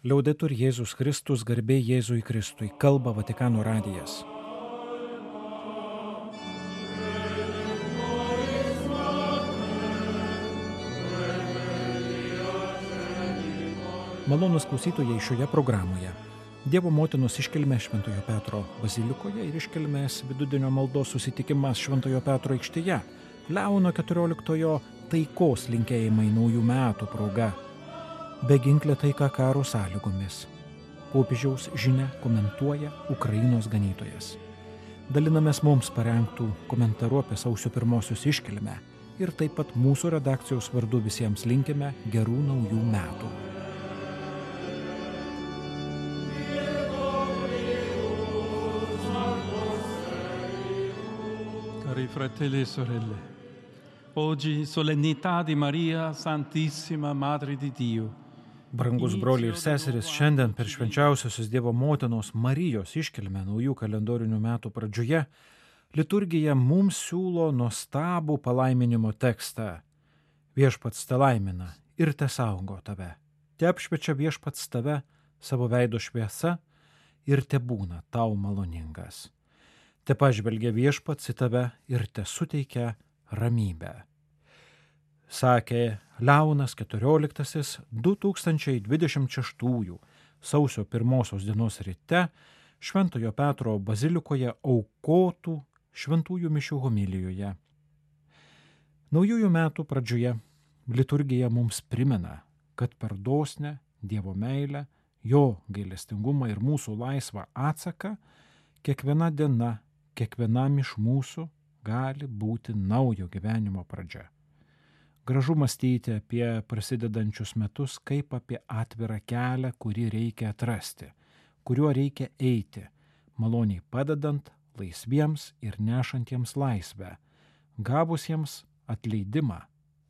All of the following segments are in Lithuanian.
Liaudetur Jėzus Kristus, garbė Jėzui Kristui, kalba Vatikano radijas. Malonūs klausytojai šioje programoje. Dievo motinos iškilmė Šventojo Petro bazilikoje ir iškilmės vidudienio maldos susitikimas Šventojo Petro aikštėje. Leono 14 taikos linkėjimai naujų metų proga. Beginklė taika karo sąlygomis. Popiežiaus žinia komentuoja Ukrainos ganytojas. Dalinamės mums parengtų komentarų apie sausio 1 iškilmę ir taip pat mūsų redakcijos vardu visiems linkime gerų naujų metų. Cari fratelli e sorelle, oggi solennità di Maria Santissima Madre di Dio. Brangus broliai ir seserys, šiandien per švenčiausiosios Dievo motinos Marijos iškilmę naujų kalendorinių metų pradžioje liturgija mums siūlo nuostabų palaiminimo tekstą. Viešpats te laimina ir te saugo tave. Te apšviečia viešpats tave savo veido šviesa ir te būna tau maloningas. Te pažvelgia viešpats į tave ir te suteikia ramybę. Sakė Leonas 14 2026 sausio 1 dienos ryte Šventojo Petro bazilikoje aukotų šventųjų mišių homilijoje. Naujųjų metų pradžioje liturgija mums primena, kad per dosnę Dievo meilę, jo gailestingumą ir mūsų laisvą atsaką kiekviena diena, kiekvienam iš mūsų gali būti naujo gyvenimo pradžia. Gražu mąstyti apie prasidedančius metus kaip apie atvirą kelią, kurį reikia atrasti, kuriuo reikia eiti, maloniai padedant laisviems ir nešantiems laisvę, gavusiems atleidimą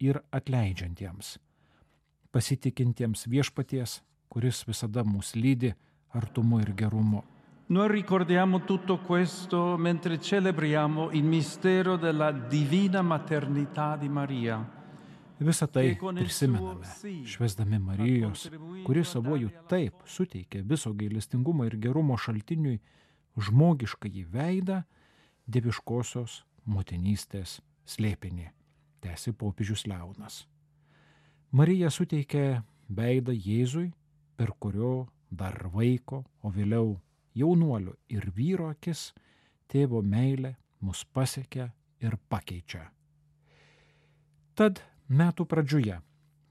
ir atleidžiantiems, pasitikintiems viešpaties, kuris visada mus lydi artumu ir gerumu. Noi ricordiamo tutto questo mentre celebriamo il mistero della divina maternità di Maria. Visą tai prisimename, švęsdami Marijos, kuri savojų taip suteikė viso gailestingumo ir gerumo šaltiniui žmogiškąjį veidą dieviškosios motinystės slėpinį, tęsė popiežius Leonas. Marija suteikė veidą Jėzui, per kurio dar vaiko, o vėliau jaunuolio ir vyro akis tėvo meilė mus pasiekia ir pakeičia. Tad metų pradžioje,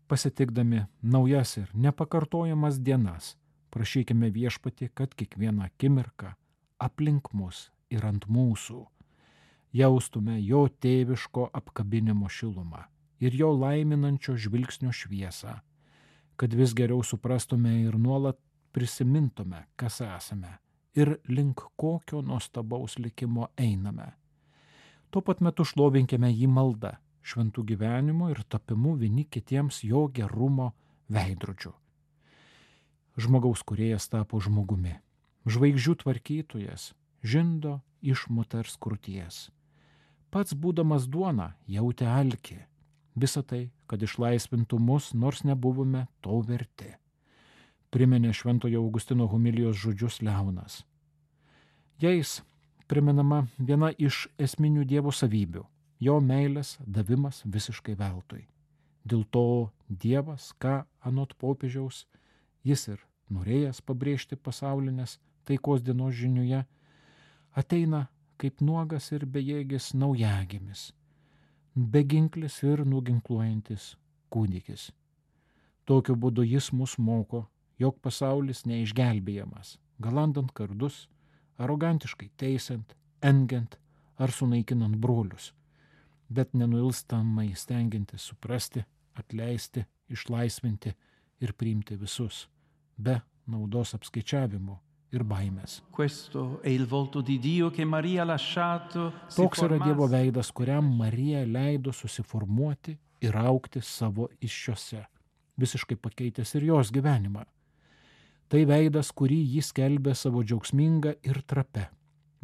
pasitikdami naujas ir nepakartojamas dienas, prašykime viešpatį, kad kiekvieną akimirką aplink mus ir ant mūsų jaustume jo tėviško apkabinimo šilumą ir jo laiminančio žvilgsnio šviesą, kad vis geriau suprastume ir nuolat prisimintume, kas esame ir link kokio nuostabaus likimo einame. Tuo pat metu šlovinkime jį maldą, šventų gyvenimo ir tapimu vieni kitiems jo gerumo veidrodžiu. Žmogaus kūrėjas tapo žmogumi, žvaigždžių tvarkytojas žindo iš moters krūties. Pats būdamas duona jautė alkį, visą tai, kad išlaisvintų mus, nors nebuvome to verti. Priminė Šventojo Augustino homilijos žodžius Leonas. Jais primenama viena iš esminių Dievo savybių – jo meilės davimas visiškai veltui. Dėl to Dievas, ką anot popiežiaus, jis ir norėjęs pabrėžti pasaulinės taikos dienos žiniuje, ateina kaip nuogas ir bejėgis naujagimis, beginklis ir nuginkluojantis kūdikis. Tokiu būdu jis mus moko, jog pasaulis neišgelbėjamas, galandant kardus, arogantiškai teisiant, engiant ar sunaikinant brolius, bet nenuilstamai stengiantis suprasti, atleisti, išlaisvinti ir priimti visus, be naudos apskaičiavimo ir baimės. Toks yra Dievo veidas, kuriam Marija leido susiformuoti ir augti savo įsčiose, visiškai pakeitęs ir jos gyvenimą. Tai veidas, kurį jis skelbė savo džiaugsmingą ir trapę,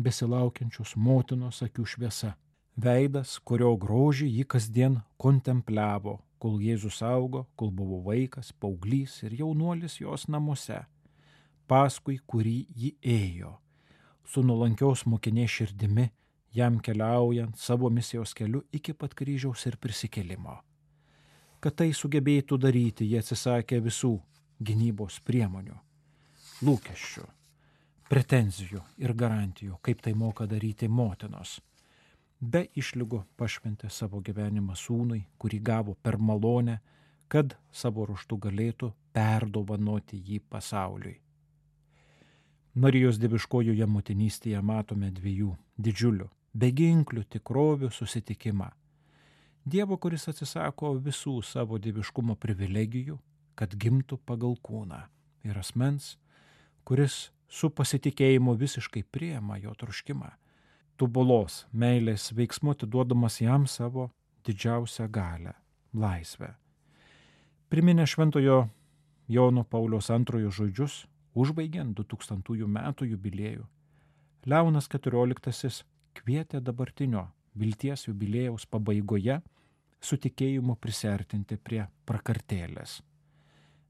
besilaukiančios motinos akių šviesa. Veidas, kurio grožį jį kasdien kontempliavo, kol Jėzus augo, kol buvo vaikas, paauglys ir jaunuolis jos namuose, paskui kurį ji ėjo, su nuolankios mokinės širdimi, jam keliaujant savo misijos keliu iki pat kryžiaus ir prisikėlimo. Kad tai sugebėtų daryti, jie atsisakė visų gynybos priemonių, lūkesčių, pretenzijų ir garantijų, kaip tai moka daryti motinos. Be išlygų pašventė savo gyvenimą sūnui, kurį gavo per malonę, kad savo ruožtu galėtų perdovanoti jį pasauliui. Marijos dieviškojoje motinystėje matome dviejų didžiulių, beginklių tikrovių susitikimą. Dievo, kuris atsisako visų savo dieviškumo privilegijų, kad gimtų pagal kūną, ir asmens, kuris su pasitikėjimu visiškai priima jo troškimą, tobulos meilės veiksmu atiduodamas jam savo didžiausią galią – laisvę. Priminę Šventojo Jono Pauliaus II žodžius, užbaigiant 2000 metų jubiliejų, Leonas XIV kvietė dabartinio vilties jubiliejaus pabaigoje su tikėjimu prisiartinti prie prakartėlės,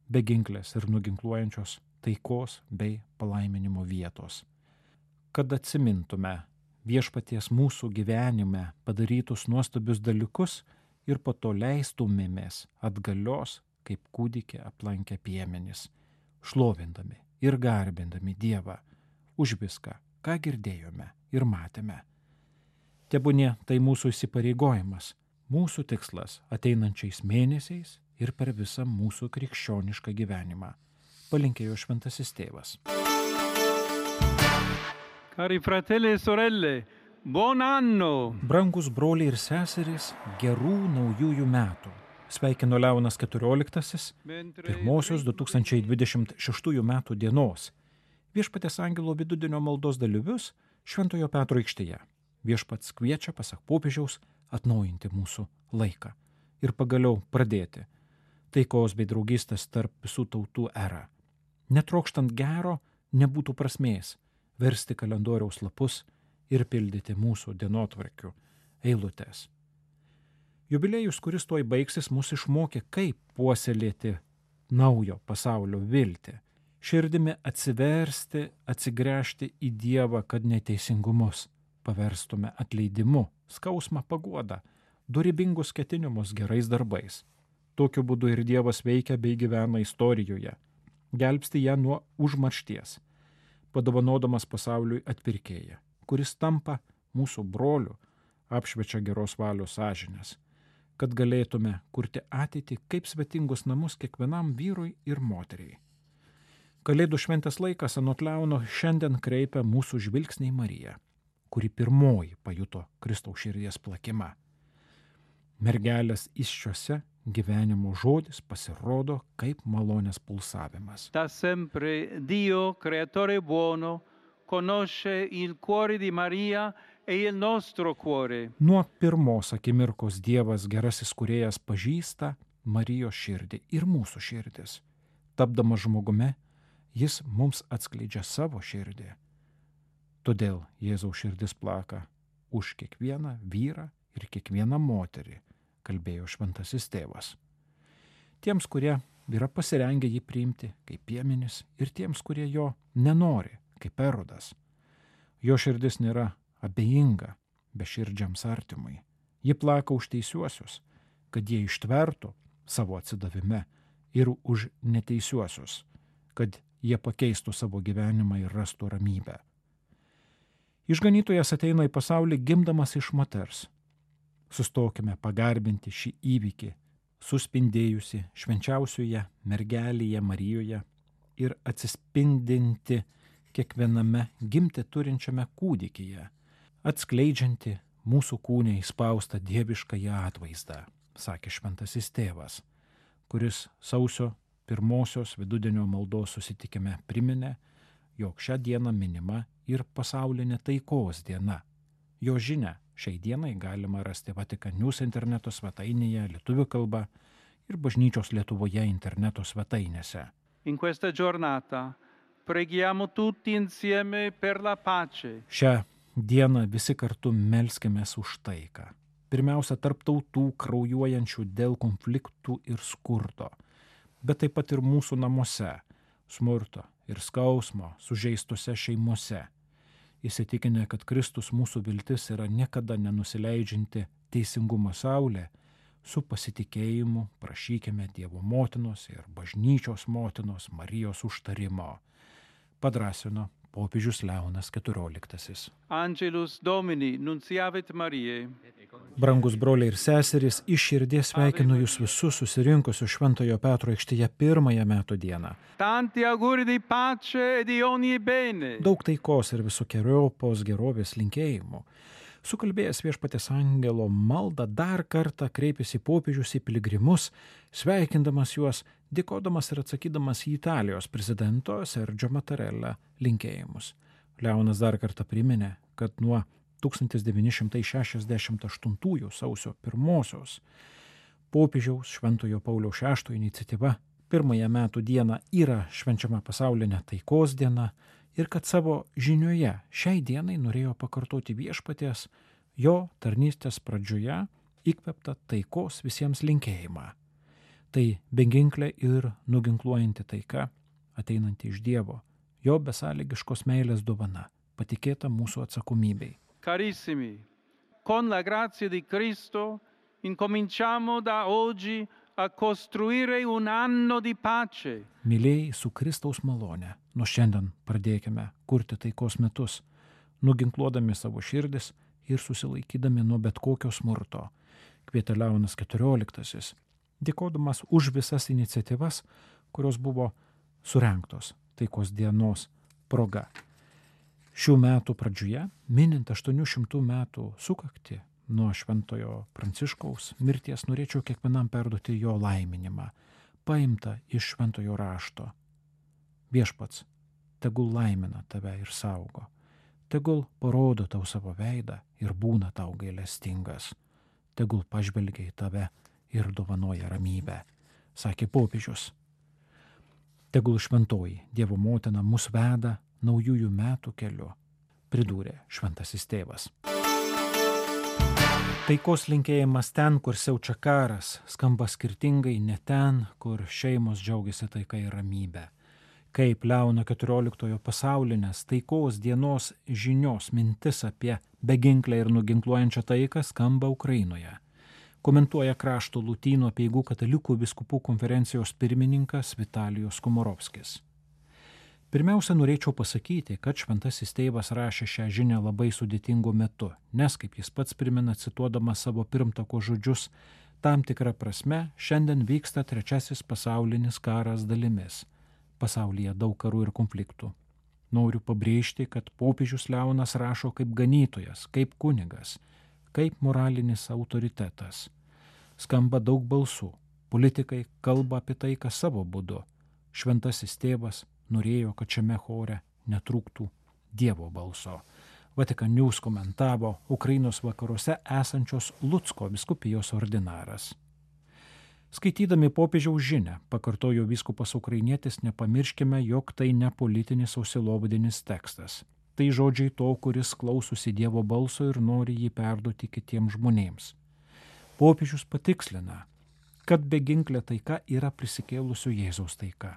beginklės ir nuginkluojančios taikos bei palaiminimo vietos, kad atsimintume viešpaties mūsų gyvenime padarytus nuostabius dalykus ir po to leistumėmės atgalios, kaip kūdikį aplankę piemenys, šlovindami ir garbindami Dievą už viską, ką girdėjome ir matėme. Tebūnie tai mūsų įsipareigojimas, mūsų tikslas ateinančiais mėnesiais ir per visą mūsų krikščionišką gyvenimą, palinkėjo Šventasis Tėvas. Cari fratelli e sorelle, buon anno! Brangus broliai ir seserys, gerų naujųjų metų. Sveikino Leonas XIV, pirmosios 2026 metų dienos. Viešpaties angelo vidudienio maldos dalyvius Šventojo Petro aikštėje. Viešpats kviečia, pasak popiežiaus, atnaujinti mūsų laiką ir pagaliau pradėti taikos bei draugystės tarp visų tautų erą. Netrokštant gero, nebūtų prasmės versti kalendoriaus lapus ir pildyti mūsų dienotvarkių eilutes. Jubiliejus, kuris tuoj baigsis, mus išmokė, kaip puoselėti naujo pasaulio viltį, širdimi atsiversti, atsigręžti į Dievą, kad neteisingumus paverstume atleidimu, skausmą paguodą, dorybingus ketinimus gerais darbais. Tokiu būdu ir Dievas veikia bei gyvena istorijoje, gelbsti ją nuo užmaršties, padovanodamas pasauliui atpirkėją, kuris tampa mūsų broliu, apšviečia geros valios sąžinės, kad galėtume kurti ateitį kaip svetingus namus kiekvienam vyrui ir moteriai. Kalėdų šventės laikas anot Leono šiandien kreipia mūsų žvilgsnį į Mariją, kuri pirmoji pajuto Kristaus širdies plakimą. Mergelės įsčiose gyvenimo žodis pasirodo kaip malonės pulsavimas. Da sempre Dio, creatore buono, conosce il cuore di Maria e il nostro cuore. Nuo pirmos akimirkos Dievas gerasis kūrėjas pažįsta Marijos širdį ir mūsų širdis. Tapdamas žmogumi, jis mums atskleidžia savo širdį. Todėl Jėzaus širdis plaka už kiekvieną vyrą ir kiekvieną moterį, kalbėjo Šventasis Tėvas. Tiems, kurie yra pasirengę jį priimti kaip piemenis ir tiems, kurie jo nenori, kaip Erodas. Jo širdis nėra abejinga beširdžiams artimui. Ji plaka už teisiuosius, kad jie ištvertų savo atsidavime ir už neteisiuosius, kad jie pakeistų savo gyvenimą ir rastų ramybę. Išganytojas ateina į pasaulį gimdamas iš moters. Sustokime pagarbinti šį įvykį, suspindėjusi švenčiausioje mergelėje Marijoje ir atsispindinti kiekviename gimti turinčiame kūdikyje, atskleidžianti mūsų kūne įspaustą dieviškąją atvaizdą, sakė Šventasis Tėvas, kuris sausio 1 vidudienio maldos susitikime priminė, jog šią dieną minima ir pasaulinė taikos diena. Jo žinia šiai dienai galima rasti Vatikan News interneto svetainėje lietuvių kalba ir Bažnyčios Lietuvoje interneto svetainėse. In questa giornata preghiamo tutti insieme per la pace. Šią dieną visi kartu melskimės už taiką. pirmiausia tarp tautų kraujuojančių dėl konfliktų ir skurdo, bet taip pat ir mūsų namuose, smurto ir skausmo sužeistose šeimose. Įsitikinę, kad Kristus mūsų viltis yra niekada nenusileidžianti teisingumo saulė, su pasitikėjimu prašykime Dievo motinos ir bažnyčios motinos Marijos užtarimo, padrąsino popiežius Leonas XIV. Angelus Domini, nunciavit Mariae. Brangus broliai ir seserys, iš širdies sveikinu jūs visus susirinkusius Šventojo Petro aikštėje pirmąją metų dieną. Tanti auguri di pace e di ogni bene. Daug taikos ir visokiojopos gerovės linkėjimų. Sukalbėjęs Viešpaties angelo maldą dar kartą kreipėsi popiežius į piligrimus, sveikindamas juos, dėkodamas ir atsakydamas į Italijos prezidento Sergio Mattarella linkėjimus. Leonas dar kartą priminė, kad nuo 1968 sausio 1 popiežiaus Šventojo Pauliaus VI iniciatyva pirmąją metų dieną yra švenčiama pasaulinė taikos diena ir kad savo žinioje šiai dienai norėjo pakartoti Viešpaties jo tarnystės pradžioje įkvėptą taikos visiems linkėjimą. Tai beginklė ir nuginkluojanti taika, ateinanti iš Dievo, jo besąlygiškos meilės dovana, patikėta mūsų atsakomybei. Carissimi, con la grazia di Cristo incominciamo da oggi a costruire un anno di pace. Mylėjai, su Kristaus malone, nuo šiandien pradėkime kurti taikos metus, nuginkluodami savo širdis ir susilaikydami nuo bet kokio smurto, kvietė Leonas XIV, dėkodamas už visas iniciatyvas, kurios buvo surengtos taikos dienos proga. Šių metų pradžioje, minint 800 metų sukaktį nuo Šventojo Pranciškaus mirties, norėčiau kiekvienam perduoti jo laiminimą, paimtą iš Šventojo rašto. Viešpats, tegul laimina tave ir saugo, tegul parodo tau savo veidą ir būna tau gailestingas, tegul pažvelgia į tave ir dovanoja ramybę, sakė popiežius. Tegul šventoji Dievo motina mus veda naujųjų metų keliu, pridūrė šventasis tėvas. Taikos linkėjimas ten, kur siaučia karas, skamba skirtingai ne ten, kur šeimos džiaugiasi taika ir ramybė. Kaip Leono XIV pasaulinės taikos dienos žinios mintis apie beginklę ir nuginkluojančią taiką skamba Ukrainoje, komentuoja Krašto Lotynų apeigų katalikų vyskupų konferencijos pirmininkas Vitalijus Komorovskis. Pirmiausia, norėčiau pasakyti, kad šventasis tėvas rašė šią žinią labai sudėtingu metu, nes, kaip jis pats primena, cituodamas savo pirmtako žodžius, tam tikra prasme šiandien vyksta trečiasis pasaulinis karas dalimis. Pasaulyje daug karų ir konfliktų. Noriu pabrėžti, kad popiežius Leonas rašo kaip ganytojas, kaip kunigas, kaip moralinis autoritetas. Skamba daug balsų, politikai kalba apie tai, kas savo būdu. Šventasis tėvas norėjo, kad šiame chore netrūktų Dievo balso. Vatikan News komentavo Ukrainos vakaruose esančios Lucko vyskupijos ordinaras. Skaitydami popiežiaus žinią, pakartojo vyskupas ukrainietis, nepamirškime, jog tai ne politinis ausilovadinis tekstas. Tai žodžiai to, kuris klausosi Dievo balso ir nori jį perduoti kitiems žmonėms. Popiežius patikslina, kad beginklė taika yra prisikėlusio Jėzaus taika.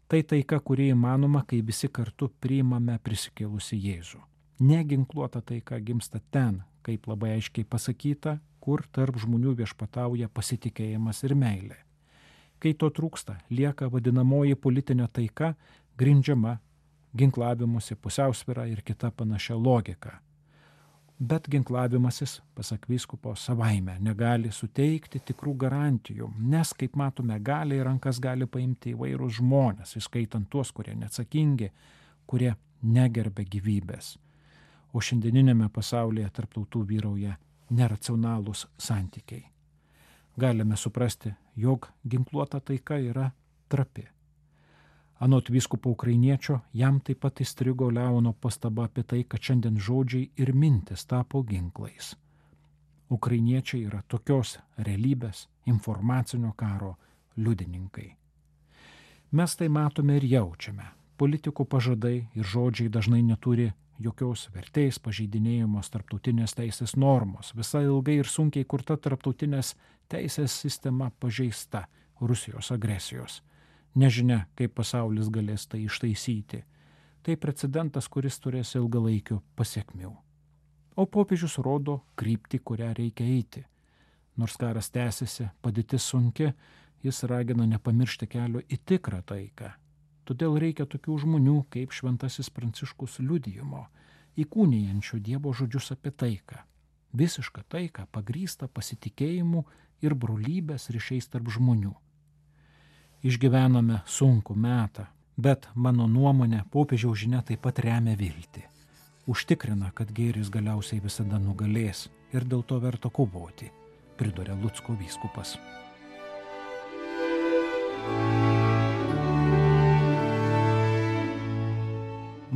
Tai taika, kuri įmanoma, kai visi kartu priimame prisikėlusi Jėzų. Neginkluota taika gimsta ten, kaip labai aiškiai pasakyta, kur tarp žmonių viešpatauja pasitikėjimas ir meilė. Kai to trūksta, lieka vadinamoji politinė taika, grindžiama ginklavimusi, pusiausvyra ir kita panašia logika. Bet ginklavimasis, pasak vyskupo, savaime negali suteikti tikrų garantijų, nes, kaip matome, gali į rankas gali paimti įvairūs žmonės, įskaitant tuos, kurie neatsakingi, kurie negerbia gyvybės. O šiandieninėme pasaulyje tarp tautų vyrauja neracionalūs santykiai. Galime suprasti, jog ginkluota taika yra trapi. Anot vyskupo ukrainiečio, jam taip pat įstrigo Leono pastaba apie tai, kad šiandien žodžiai ir mintis tapo ginklais. Ukrainiečiai yra tokios realybės, informacinio karo liudininkai. Mes tai matome ir jaučiame. Politikų pažadai ir žodžiai dažnai neturi jokios vertės pažeidinėjamos tarptautinės teisės normos. Visa ilgai ir sunkiai kurta tarptautinės teisės sistema pažeista Rusijos agresijos. Nežinia, kaip pasaulis galės tai ištaisyti. Tai precedentas, kuris turės ilgalaikių pasiekmių. O popiežius rodo kryptį, kurią reikia eiti. Nors karas tęsiasi, padėtis sunki, jis ragina nepamiršti kelio į tikrą taiką. Todėl reikia tokių žmonių kaip šventasis Pranciškus liudijimo, įkūnijančių Dievo žodžius apie taiką. Visišką taiką pagrįstą pasitikėjimu ir brolybės ryšiais tarp žmonių. Išgyvename sunkų metą, bet mano nuomonė popiežiaus žinia taip pat remia viltį. Užtikrina, kad gėris galiausiai visada nugalės ir dėl to verta kovoti, priduria Lucko vyskupas.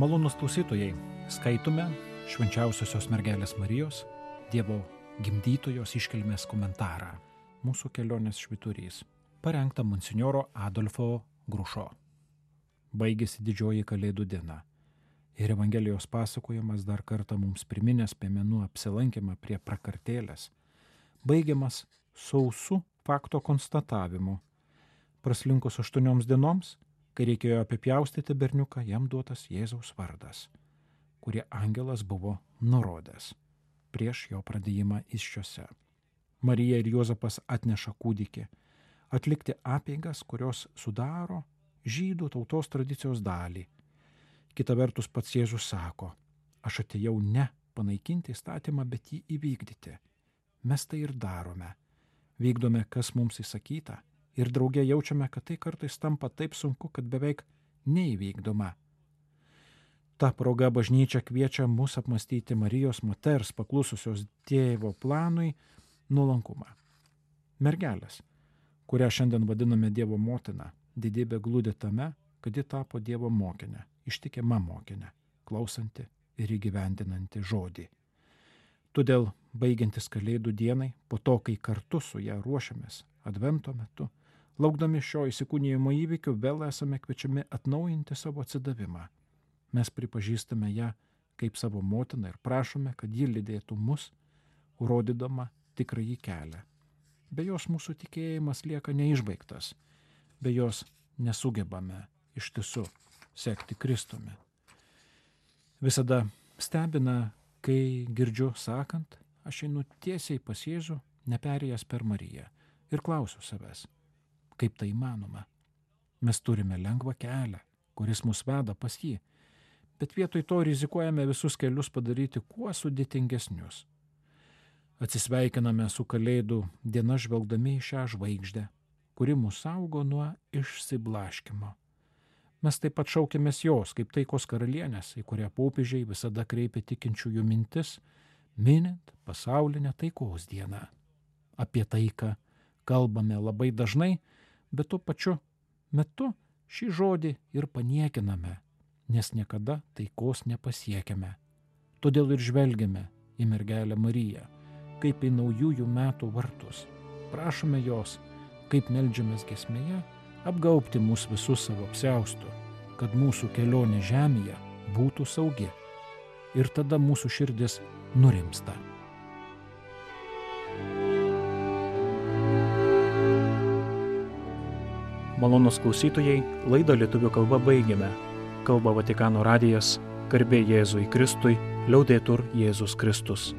Malonūs klausytojai, skaitome Švenčiausiosios mergelės Marijos, Dievo gimdytojos iškilmės komentarą. Mūsų kelionės švyturys, parengta monsinjoro Adolfo Grušo. Baigėsi didžioji Kalėdų diena ir Evangelijos pasakojimas dar kartą mums priminęs piemenų apsilankymą prie prakartėlės, baigiamas sausu fakto konstatavimu. Praslinkus 8 dienoms, kai reikėjo apipjaustyti berniuką, jam duotas Jėzaus vardas, kurį angelas buvo nurodęs prieš jo pradėjimą įsčiose. Marija ir Juozapas atneša kūdikį, atlikti apeigas, kurios sudaro žydų tautos tradicijos dalį. Kita vertus pats Jėzus sako, aš atėjau ne panaikinti įstatymą, bet jį įvykdyti. Mes tai ir darome. Vykdome, kas mums įsakyta ir drauge jaučiame, kad tai kartais tampa taip sunku, kad beveik neįvykdoma. Ta proga bažnyčia kviečia mus apmąstyti Marijos moters paklususios Tėvo planui nuolankumą. Mergelės, kurią šiandien vadiname Dievo motina, didybė glūdi tame, kad ji tapo Dievo mokinė, ištikima mokinė, klausanti ir įgyvendinanti žodį. Todėl, baigiantis Kalėdų dienai, po to, kai kartu su ją ruošiamės Advento metu, laukdami šio įsikūnijimo įvykių, vėl esame kviečiami atnaujinti savo atsidavimą. Mes pripažįstame ją kaip savo motiną ir prašome, kad ji lydėtų mus, rodydama tikrąjį kelią. Be jos mūsų tikėjimas lieka neišbaigtas, be jos nesugebame iš tiesų sekti Kristumi. Visada stebina, kai girdžiu sakant, aš einu tiesiai pas Jėzų, neperėjęs per Mariją, ir klausiu savęs, kaip tai įmanoma. Mes turime lengvą kelią, kuris mus veda pas jį, bet vietoj to rizikuojame visus kelius padaryti kuo sudėtingesnius. Atsisveikiname su Kalėdų diena žvelgdami į šią žvaigždę, kuri mus saugo nuo išsiblaškymo. Mes taip pat šaukiamės jos, kaip taikos karalienės, į kurią popiežiai visada kreipia tikinčiųjų mintis, minint pasaulinę taikos dieną. Apie taiką kalbame labai dažnai, bet tuo pačiu metu šį žodį ir paniekiname, nes niekada taikos nepasiekiame. Todėl ir žvelgiame į mergelę Mariją, kaip į naujųjų metų vartus. Prašome jos, kaip meldžiamės giesmėje, apgaubti mus visus savo apsiaustu, kad mūsų kelionė žemėje būtų saugi. Ir tada mūsų širdis nurimsta. Malonūs klausytojai, laidą lietuvių kalba baigėme. Kalba Vatikano radijas, garbė Jėzui Kristui, liaudetur Jėzus Kristus.